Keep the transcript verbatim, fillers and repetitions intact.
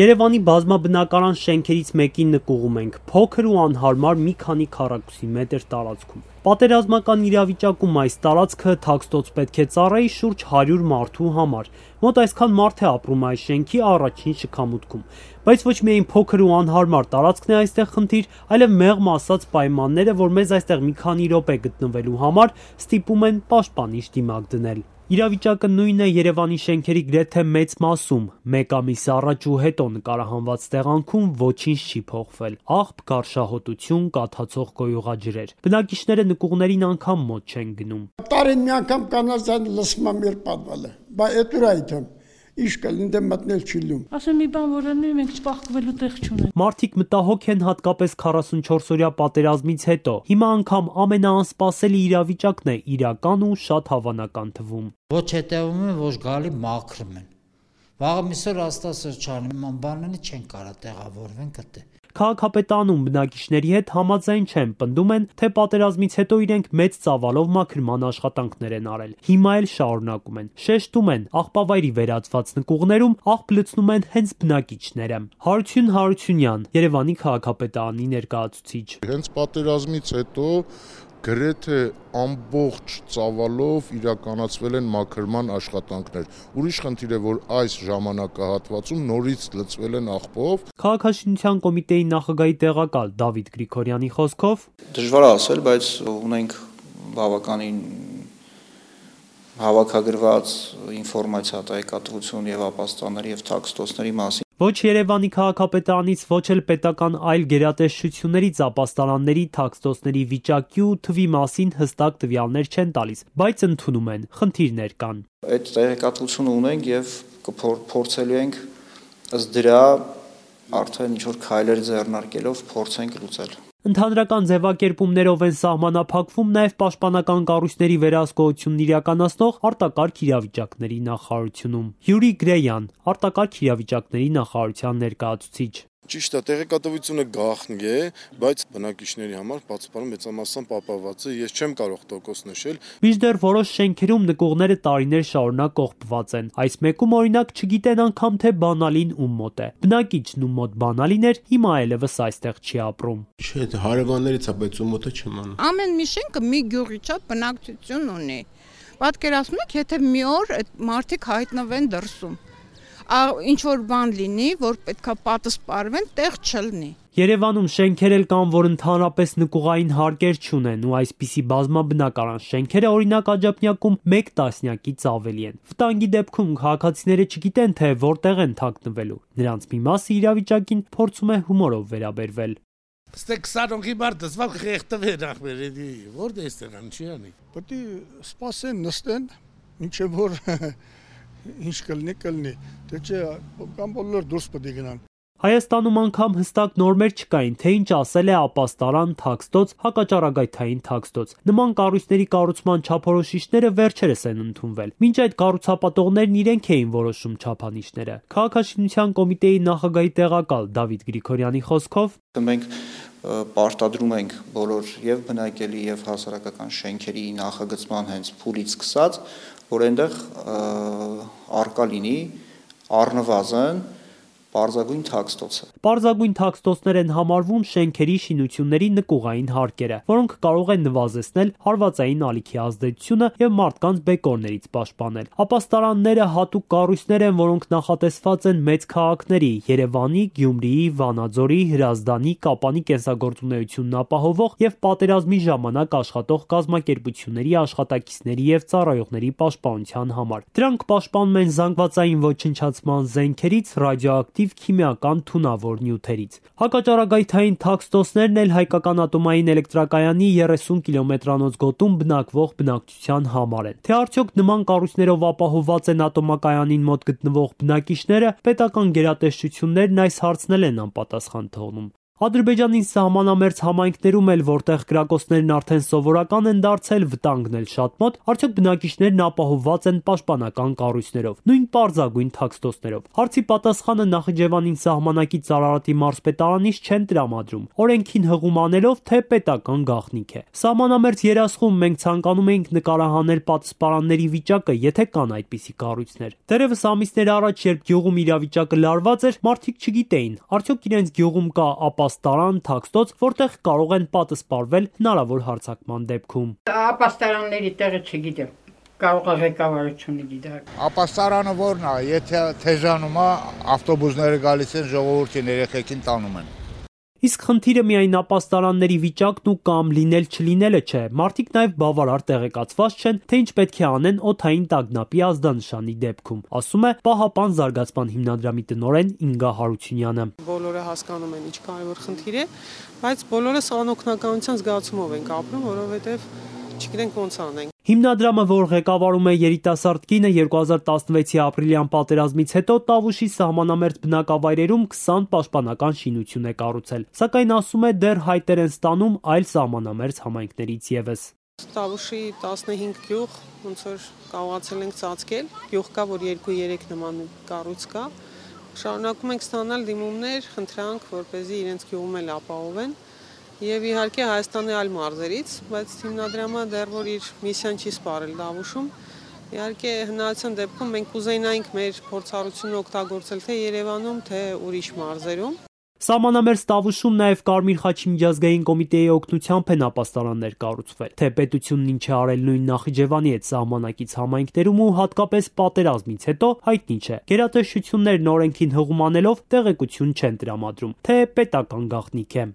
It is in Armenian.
Երևանի բազմաբնակարան շենքերից մեկի նկուղում ենք, փոքր ու անհարմար մի քանի քառակուսի մետր տարածքում։ Պատերազմական իրավիճակում այս տարածքը թաքստոց պետք է ծառայի շուրջ հարյուր մարդու համար։ Մոտ այսքան մարդ է ապրում այս շենքի առաջին շքամուտքում։ Բայց ոչ միայն փոքր ու անհարմար տարածքն է այստեղ խնդիր, այլև մեղմ ասած պայմանները, որ մեզ այստեղ մի քանի րոպե գտնվելու համար ստիպում են պաշտպանիչ դիմակ դնել։ Իրավիճակը նույնն է Երևանի շենքերի գրեթե մեծ մասում։ Մեկ ամիս առաջ ու հետո նկարահանված տեղանքում ոչինչ չի փոխվել։ Աղբ, գարշահոտություն, կաթացող գոյուղաջրեր։ Բնակիչները նկուղներին անգամ մոտ չեն գնում։ Տարին մի անգամ կանացան լսմա մեր պատվալը։ Բա էտուր այդեմ։ Ինչ կլինի դե մտնել չի լում։ Ասեմ մի բան որ անի մենք չփախկվելու տեղ չունենք։ Մարդիկ մտահոգ են հատկապես քառասունչորս-օրյա պատերազմից հետո։ Հիմա անգամ ամենաանսպասելի իրավիճակն է իրական ու շատ հավանական թվում։ Ոչ հետևում են, ոչ գալի մաքրում են։ Վաղը միսօր աստասրճանի ման բանալի չեն կարա տեղավորվեն կտե։ Քաղաքապետարանում բնակիչների հետ համաձայն չեն, պնդում են, թե պատերազմից հետո իրենք մեծ ծավալով մաքրման աշխատանքներ են արել։ Հիմա էլ շարունակում են։ Շեշտում են, աղբավայրի վերածված նկուղներում աղբ լցնում են հենց բնակիչները։ Հարություն Հարությունյան, Երևանի քաղաքապետարանի ներկայացուցիչ։ Հենց պատերազմից հետո գրեթե ամբողջ ծավալով իրականացվել են մաքրման աշխատանքներ։ Ուրիշ խնդիր է, որ այս ժամանակահատվածում նորից լցվել են աղբով։ Քաղաքաշինության կոմիտեի նախագահի տեղակալ Դավիթ Գրիգորյանի խոսքով դժվար է ասել, բայց ունենք բավականին հավաքագրված ինֆորմացիա տեղեկատվություն եւ ապաստանների եւ թաքստոցների մասին։ Ոչ Երևանի քաղաքապետարանից, ոչ էլ պետական այլ գերատեսչություններից ապաստարանների, թաքստոցների վիճակի ու թվի մասին հստակ տվյալներ չեն տալիս, բայց ընդունում են, խնդիրներ կան։ Այդ տեղեկատվությունը ունենք եւ փորձելու ենք ըստ դրա արդեն ինչ որ քայլեր ձեռնարկելով փորձենք լուծել։ Ընդհանրական ձևակերպումներով են սահմանափակվում նաև պաշտպանական կառույցների վերահսկողությունն իրականացնող արտակարգ իրավիճակների նախարարությունում։ Յուրի Գրեյան, արտակարգ իրավիճակների նախարարության ներկայացուցիչ։ Ճիշտ է, տեղեկատվությունը գաղտնի է, բայց բնակիչների համար բացառապես մեծամասամբ պահպանված է, ես չեմ կարող տոկոս նշել։ Մինչդեռ որոշ շենքերում նկուղները տարիներ շարունակ կողպված են։ Այս մեկում օրինակ չգիտեն անգամ թե բանալին ում մոտ է։ Բնակիչն ում մոտ բանալին էր, հիմա այլևս այստեղ չի ապրում։ Չէ, հարևաններից է, բայց ում մոտ է չեմ անում։ Ամեն մի շենքը մի գյուղի չափ բնակչություն ունի։ Պատկերացնում եք, եթե մի օր այդ մարդիկ հայտնվեն դրսում։ Ինչ որ բան լինի, որ պետքա պատասպարվեն, տեղ չլինի։ Երևանում շենքեր էլ կան, որ ընդհանրապես նկուղային հարկեր չունեն ու այսպիսի բազմաբնակարան շենքերը օրինակ Աջափնյակում մեկ տասնյակից ավելի են։ Վտանգի դեպքում քաղաքացիները չգիտեն, թե որտեղ են թաքնվելու։ Նրանց մի մասը իրավիճակին փորձում է հումորով վերաբերվել։ Ստե քսանօքի մարդը սվալ խեղտվե նախմերեդի, որտե է ստեղան, չի անի։ Պետք է սպասեն, նստեն, ինչեւ որ ինչ կլինի, կլինի, թե չէ կամ բոլոր դուրս պետք է գնան։ Հայաստանում անգամ հստակ նորմեր չկային, թե ինչ ասել է ապաստարան, թաքստոց, հակաճառագայթային թաքստոց։ Նման կառույցների կառուցման չափորոշիչները վերջերս են ընդունվել։ Մինչ այդ կառուցապատողներն իրենք էին որոշում չափանիշները։ Քաղաքաշինության կոմիտեի նախագահի տեղակալ Դավիթ Գրիգորյանի խոսքով մենք պարտադրում ենք բոլոր եւ բնակելի եւ հասարակական շենքերի նախագծման հենց փուլից սկսած, որ այնտեղ արկա լինի առնվազն Պարզագույն թաքստոցը։ Պարզագույն թաքստոցներ են համարվում շենքերի շինությունների նկուղային հարկերը, որոնք կարող են նվազեցնել հարվածային ալիքի ազդեցությունը եւ մարդկանց բեկորներից պաշտպանել։ Ապաստարանները հատուկ կառույցներ են, որոնք նախատեսված են մեծ քաղաքների՝ Երևանի, Գյումրիի, Վանաձորի, Հրազդանի, Կապանի կենսագործունեությունն ապահովող եւ պատերազմի ժամանակ աշխատող կազմակերպությունների աշխատակիցների եւ ծառայողների պաշտպանության համար։ Դրանք պաշտպանում են զանգվածային ոչնչացման զենքերից, ռադիոակտիվ քիմիական թունավոր նյութերից։ Հակաճառագայթային թաքստոցներն էլ հայկական ատոմային էլեկտրակայանի երեսուն կիլոմետրանոց գոտում բնակվող բնակչության համար են։ Թե արդյոք նման կառույցներով ապահովված են ատոմակայանին մոտ գտնվող բնակիչները, պետական գերատեսչություններն այս հարցն են անպատասխան թողնում։ Ադրբեջանի սահմանամերձ համայնքներում էլ, որտեղ կրակոցներն արդեն սովորական են դարձել, վտանգն էլ շատ մոտ, արդյոք բնակիչներն ապահովված են պաշտպանական կառույցներով, նույն պարզագույն թաքստոցներով։ Հարցի պատասխանը Նախիջևանին սահմանակից Արարատի մարզպետարանից չեն տրամադրում, օրենքին հղում անելով, թե պետական գաղտնիք է։ Սահմանամերձ երասխում մենք ցանկանում էինք նկարահանել պատասպարանների վիճակը, եթե կան այդպիսի կառույցներ։ Դեռևս ամիսներ առաջ, երբ գյուղում իրավիճակը լարված էր, մարդիկ չգիտեին, արդյոք իրենց գյուղում կա ապաստարան, թաքստոց, որտեղ կարող են պատասպարվել հնարավոր հարձակման դեպքում։ Ապաստարանների տեղը չգիտեմ, կարող է ղեկավարությունը գիտակ։ Ապաստարանը որն է, եթե թեժանում է, ավտոբուսները գալիս են, ժողովրդին երեխեքին տանում են։ Իսկ խնդիրը միայն ապաստարանների վիճակն ու կամ լինել չլինելը չէ, մարդիկ նաև բավարար տեղեկացված չեն, թե ինչ պետք է անեն օդային տագնապի ազդանշանի դեպքում, ասում է Պահապան զարգացման հիմնադրամի տնօրեն Ինգա Հարությունյանը։ Բոլորը հասկանում են ինչ կարևոր խնդիր է, բայց բոլորս անօգնականության զգացումով ենք ապրում, որովհետև չգիտենք ոնց անենք։ Հիմնադրամը, որ ղեկավարում է երիտասարդ կինը, երկու հազար տասնվեցի ապրիլյան պատերազմից հետո Տավուշի սահմանամերձ բնակավայրերում քսան պաշտպանական շինություն է կառուցել, սակայն ասում է դեռ հայտեր են ստանում այլ սահմանամերձ համայնքներից ևս։ Տավուշի տասնհինգ գյուղ ոնց որ կարողացել ենք ծածկել, գյուղ կա, որ երկու երեք նման կառույց կա։ Շարունակում ենք ստանալ դիմումներ, խնդրանք, որպեսզի իրենց գյուղում էլ ապահովեն։ Եվ իհարկե Հայաստանի այլ մարզերից, բայց հիմնադրամը դեռ որ իր միսիան չի սպառել Տավուշում, իհարկե հնարավորության դեպքում մենք կուզենայինք մեր փորձառությունը օգտագործել թե Երևանում, թե ուրիշ մարզերում։ Սահմանամերձ Տավուշում նաև Կարմիր խաչի միջազգային կոմիտեի օգնությամբ են ապաստարաններ կառուցվել, թե պետությունն ինչ է արել նույն Նախիջևանի հետ սահմանակից համայնքներում ու հատկապես պատերազմից հետո հայտնի չէ։ Գերատեսչություններն օրենքին հղում անելով տեղեկություն չեն տրամադրում, թե պետական գաղտնիք է։